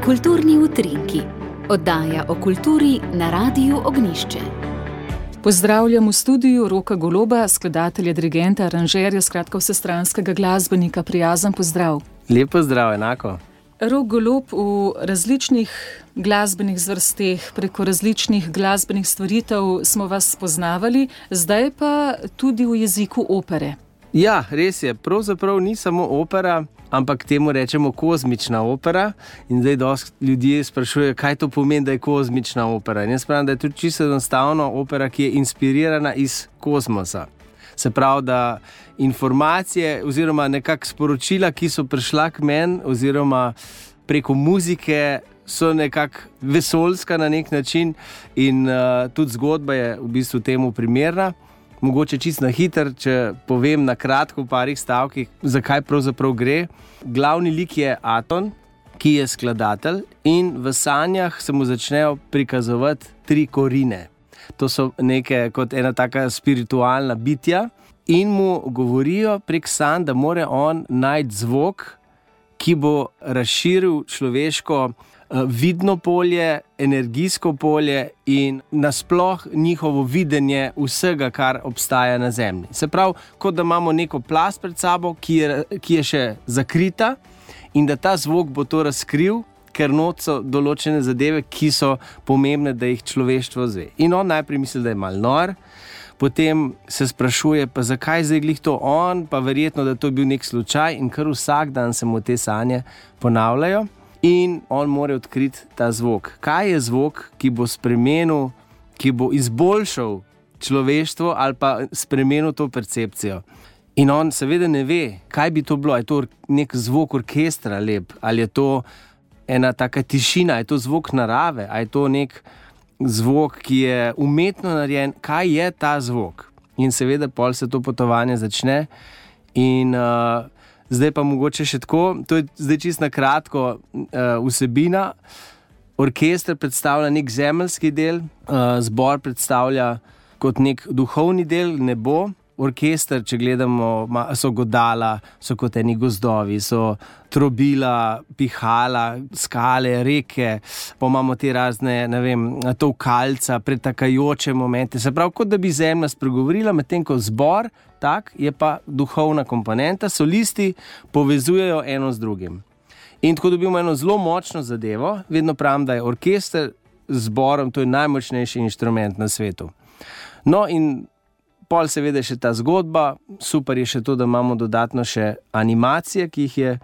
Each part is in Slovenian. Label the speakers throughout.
Speaker 1: Kulturni utrinki. Oddaja o kulturi na Radiu Ognjišče.
Speaker 2: Pozdravljam v studiu Roka Goloba, skladatelja, dirigenta, aranžerja, skratka vsestranskega glasbenika. Prijazen pozdrav.
Speaker 3: Lep pozdrav, enako.
Speaker 2: Rok Golob v različnih glasbenih zvrsteh, preko različnih glasbenih stvaritev smo vas spoznavali, zdaj pa tudi v jeziku opere.
Speaker 3: Ja, res je. Pravzaprav ni samo opera, ampak temu rečemo kozmična opera. In zdaj dosti ljudje sprašujejo, kaj to pomeni, da je kozmična opera. In jaz pravim, da je tudi čisto enostavno opera, ki je inspirirana iz kozmosa. Se pravi, da informacije oziroma nekak sporočila, ki so prišla k meni oziroma preko muzike, so nekako vesoljska na nek način in tudi zgodba je v bistvu temu primerna. Mogoče čisto na hiter, če povem na kratko v parih stavkih, zakaj pravzaprav gre. Glavni lik je Aton, ki je skladatelj in v sanjah se mu začnejo prikazovati 3 korine. To so neke kot ena taka spiritualna bitja in mu govorijo prek sanj, da more on najti zvok, ki bo razširil človeško vidno polje, energijsko polje in nasploh njihovo videnje vsega, kar obstaja na Zemlji. Se pravi, kot da imamo neko plast pred sabo, ki je še zakrita in da ta zvok bo to razkril, ker not so določene zadeve, ki so pomembne, da jih človeštvo zve. In on najprej misli, da je malo nor, potem se sprašuje, pa zakaj zdaj glih to on, pa verjetno, da to je bil nek slučaj in kar vsak dan se mu te sanje ponavljajo. In on mora odkriti ta zvok. Kaj je zvok, ki bo spremenil, ki bo izboljšal človeštvo ali pa spremenil to percepcijo? In on seveda ne ve, kaj bi to bilo. Je to nek zvok orkestra lep? Ali je to ena taka tišina? Je to zvok narave? Ali je to nek zvok, ki je umetno narejen? Kaj je ta zvok? In seveda pol se to potovanje začne in zdaj pa mogoče še tako, to je zdaj čisto na kratko vsebina. Orkester predstavlja nek zemeljski del, zbor predstavlja kot nek duhovni del, nebo. Orkester, če gledamo, so godala, so kot eni gozdovi, so trobila, pihala, skale, reke, pa imamo te razne, ne vem, tolkalca, pretakajoče momente. Se pravi, kot da bi zemlja spregovorila, medtem ko zbor, tak, je pa duhovna komponenta, solisti povezujejo eno z drugim. In tako dobimo eno zelo močno zadevo, vedno pravim, da je orkester z zborom, to je najmočnejši inštrument na svetu. No in pol seveda še ta zgodba, super je še to, da imamo dodatno še animacije, ki jih je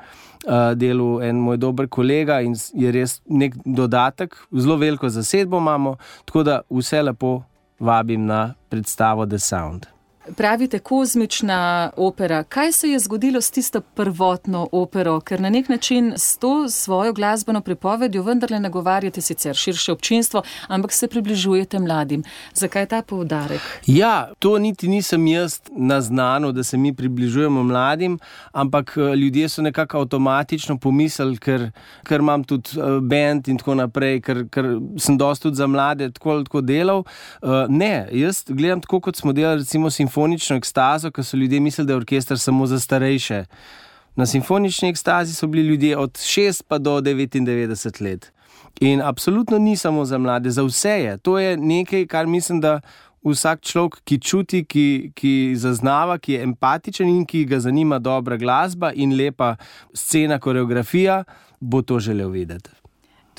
Speaker 3: delal en moj dober kolega in je res nek dodatek, zelo veliko zasedbo imamo, tako da vse lepo vabim na predstavo The Sound.
Speaker 2: Pravite kozmična opera. Kaj se je zgodilo s tisto prvotno opero? Ker na nek način s to svojo glasbeno pripovedjo vendarle nagovarjate sicer širše občinstvo, ampak se približujete mladim. Zakaj ta poudarek?
Speaker 3: Ja, to niti nisem jaz naznanil, da se mi približujemo mladim, ampak ljudje so nekako avtomatično pomislili, ker imam tudi band in tako naprej, ker sem dosti tudi za mlade tako delal. Ne, jaz gledam tako, kot smo delali recimo simfonično ekstazo, ker so ljudje mislili, da je orkester samo za starejše. Na simfonični ekstazi so bili ljudje od 6 pa do 99 let. In absolutno ni samo za mlade, za vse je. To je nekaj, kar mislim, da vsak človek, ki čuti, ki zaznava, ki je empatičen in ki ga zanima dobra glasba in lepa scena, koreografija, bo to želel videti.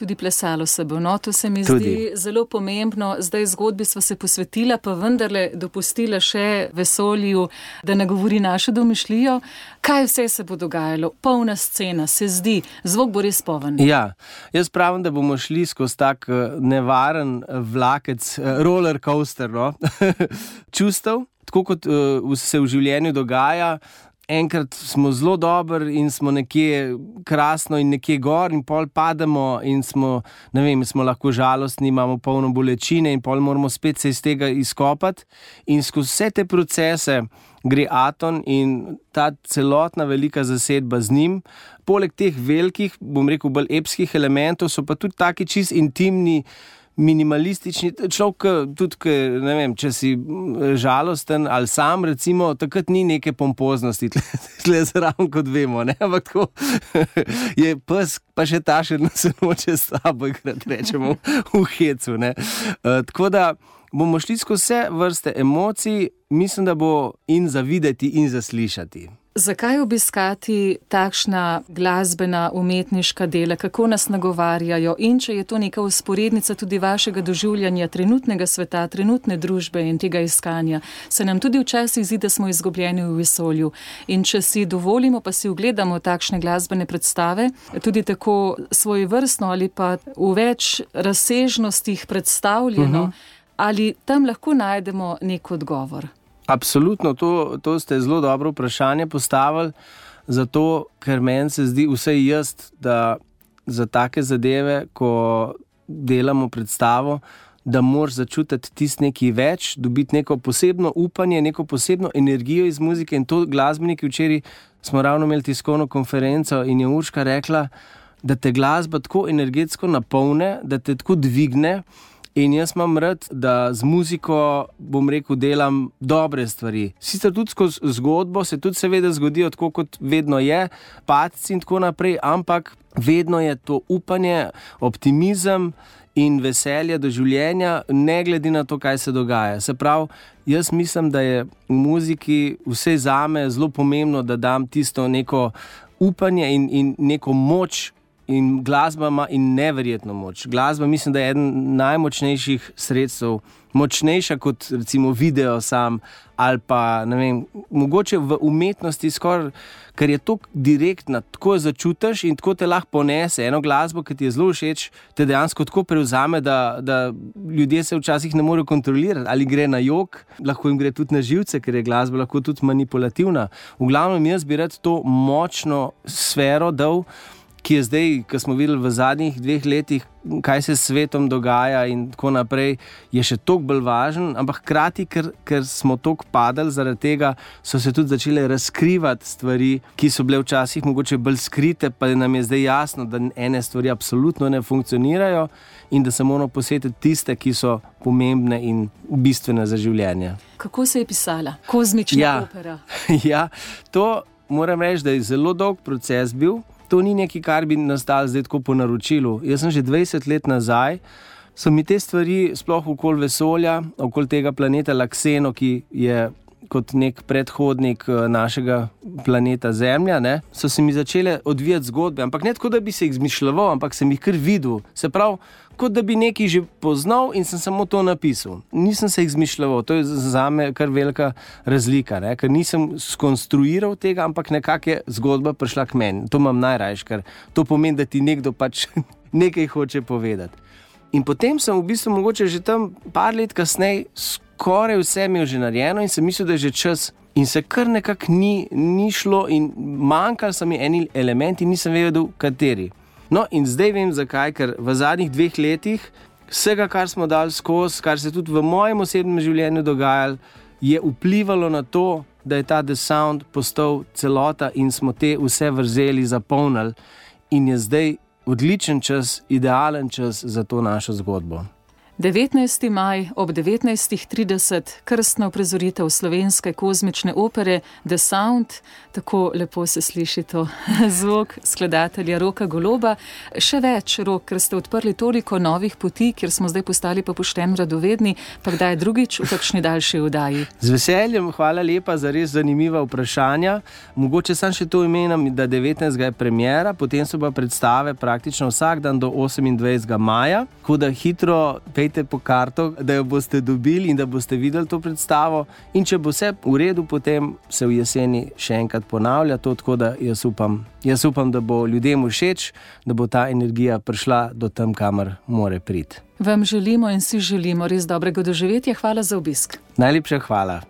Speaker 2: Tudi plesalo se bo, no, to se mi zdi zelo pomembno. Zdaj zgodbi sva se posvetila, pa vendarle dopustila še vesolju, da nagovori našo domišljijo. Kaj vse se bo dogajalo? Polna scena, se zdi, zvok bo res poln.
Speaker 3: Ja, jaz pravim, da bomo šli skozi tak nevaren vlakec, roller coaster, no? Čustev, tako kot se v življenju dogaja. Enkrat smo zelo dobri in smo nekje krasno in nekje gor in pol pademo in smo, ne vem, smo lahko žalostni, imamo polno bolečine in pol moramo spet se iz tega izkopati. In skozi vse te procese gre Aton in ta celotna velika zasedba z njim. Poleg teh velikih, bom rekel, bolj epskih elementov so pa tudi taki čist intimni minimalistični človek, tudi, ne vem, če si žalosten ali sam, recimo, takrat ni neke pompoznosti, tle zraven, kot vemo, ne, ampak tako je pes, pa še ta še se noče s tabo igrat, rečemo, v hecu, ne. Tako da bomo šli skozi vse vrste emocij, mislim, da bo in za videti in za slišati.
Speaker 2: Zakaj obiskati takšna glasbena, umetniška dela, kako nas nagovarjajo in če je to neka vzporednica tudi vašega doživljanja trenutnega sveta, trenutne družbe in tega iskanja, se nam tudi včasih zdi, da smo izgubljeni v vesolju. In če si dovolimo, pa si ogledamo takšne glasbene predstave, tudi tako svojevrstno ali pa v več razsežnostih predstavljeno, ali tam lahko najdemo nek odgovor?
Speaker 3: Absolutno, to ste zelo dobro vprašanje postavili, zato ker meni se zdi vsaj jaz, da za take zadeve, ko delamo predstavo, da moraš začutiti tisti nekaj več, dobiti neko posebno upanje, neko posebno energijo iz muzike in to glasbeniki včeraj smo ravno imeli tiskovno konferenco in je Urška rekla, da te glasba tako energetsko napolne, da te tako dvigne. In jaz imam rad, da z muziko, bom rekel, delam dobre stvari. Sicer tudi skozi zgodbo se tudi seveda zgodijo tako, kot vedno je, padci in tako naprej, ampak vedno je to upanje, optimizem in veselje do življenja, ne glede na to, kaj se dogaja. Se pravi, jaz mislim, da je v muziki vse zame zelo pomembno, da dam tisto neko upanje in neko moč. In glasba ima in neverjetno moč. Glasba mislim, da je eden najmočnejših sredstev, močnejša kot recimo video sam ali pa, ne vem, mogoče v umetnosti skoraj, ker je tako direktna, tako začutiš in tako te lahko ponese. Eno glasbo, ki ti je zelo všeč, te dejansko tako prevzame, da ljudje se včasih ne morejo kontrolirati. Ali gre na jok, lahko jim gre tudi na živce, ker je glasba lahko tudi manipulativna. V glavnem jaz bi rad to močno sfero dal, ki je zdaj, ko smo videli v zadnjih 2 letih, kaj se s svetom dogaja in tako naprej, je še toliko bolj važen, ampak hkrati, ker smo toliko padali, zaradi tega so se tudi začele razkrivati stvari, ki so bile včasih mogoče bolj skrite, pa nam je zdaj jasno, da ene stvari absolutno ne funkcionirajo in da se moramo posvetiti tiste, ki so pomembne in bistvene za življenje.
Speaker 2: Kako se je pisala kozmična opera?
Speaker 3: Ja, to moram reči, da je zelo dolg proces bil. To ni nekaj, kar bi nastalo zdaj tako po naročilu. Jaz sem že 20 let nazaj, so mi te stvari sploh okoli vesolja, okoli tega planeta Lakseno, ki je kot nek predhodnik našega planeta Zemlja, ne, so se mi začele odvijati zgodbe, ampak ne tako, da bi se jih izmišljeval, ampak sem jih kar videl. Se pravi, kot da bi nekaj že poznal in sem samo to napisal. Nisem se jih izmišljeval, to je zame kar velika razlika, ne, ker nisem skonstruiral tega, ampak nekako je zgodba prišla k meni. To imam najrajš, ker to pomeni, da ti nekdo pač nekaj hoče povedati. In potem sem v bistvu mogoče že tam par let kasneje skoraj vse imel že narejeno in sem mislil, da je že čas. In se kar nekako ni šlo in manjkali so mi eni elementi, nisem vedel, kateri. No in zdaj vem zakaj, ker v zadnjih 2 letih vsega, kar smo dali skozi, kar se tudi v mojem osebnem življenju dogajalo, je vplivalo na to, da je ta The Sound postal celota in smo te vse vrzeli zapolnili in je zdaj odličen čas, idealen čas za to našo zgodbo.
Speaker 2: 19. maj ob 19.30 krstna uprizoritev slovenske kozmične opere The Sound. Tako lepo se sliši to zvok skladatelja Roka Goloba. Še več, Rok, ker ste odprli toliko novih poti, kjer smo zdaj postali pa pošteno radovedni, pa kdaj drugič v kakšni daljši oddaji. Z
Speaker 3: veseljem, hvala lepa za res zanimiva vprašanja. Mogoče sam še to imenim, da 19. je premiera, potem so pa predstave praktično vsak dan do 28. maja, tako da hitro pejte po karto, da jo boste dobili in da boste videli to predstavo. In če bo vse v redu, potem se v jeseni še enkrat ponavlja to, tako da jaz upam, da bo ljudem všeč, da bo ta energija prišla do tam, kamor more priti.
Speaker 2: Vam želimo in si želimo res dobrega doživetja. Hvala za obisk.
Speaker 3: Najlepša hvala.